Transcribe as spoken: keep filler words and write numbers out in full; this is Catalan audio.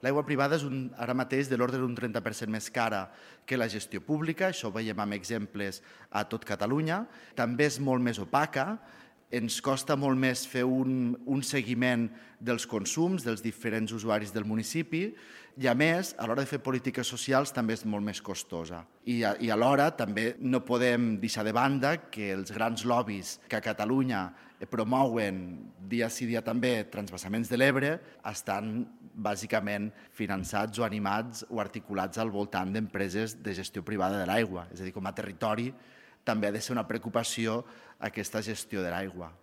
L'aigua privada és un, ara mateix de l'ordre d'un trenta per cent més cara que la gestió pública, això ho veiem amb exemples a tot Catalunya. També és molt més opaca, ens costa molt més fer un, un seguiment dels consums dels diferents usuaris del municipi i, a més, a l'hora de fer polítiques socials també és molt més costosa. I, a, i alhora també no podem deixar de banda que els grans lobbies que a Catalunya promouen dia sí dia també transvasaments de l'Ebre estan bàsicament finançats o animats o articulats al voltant d'empreses de gestió privada de l'aigua. És a dir, com a territori també ha de ser una preocupació aquesta gestió de l'aigua.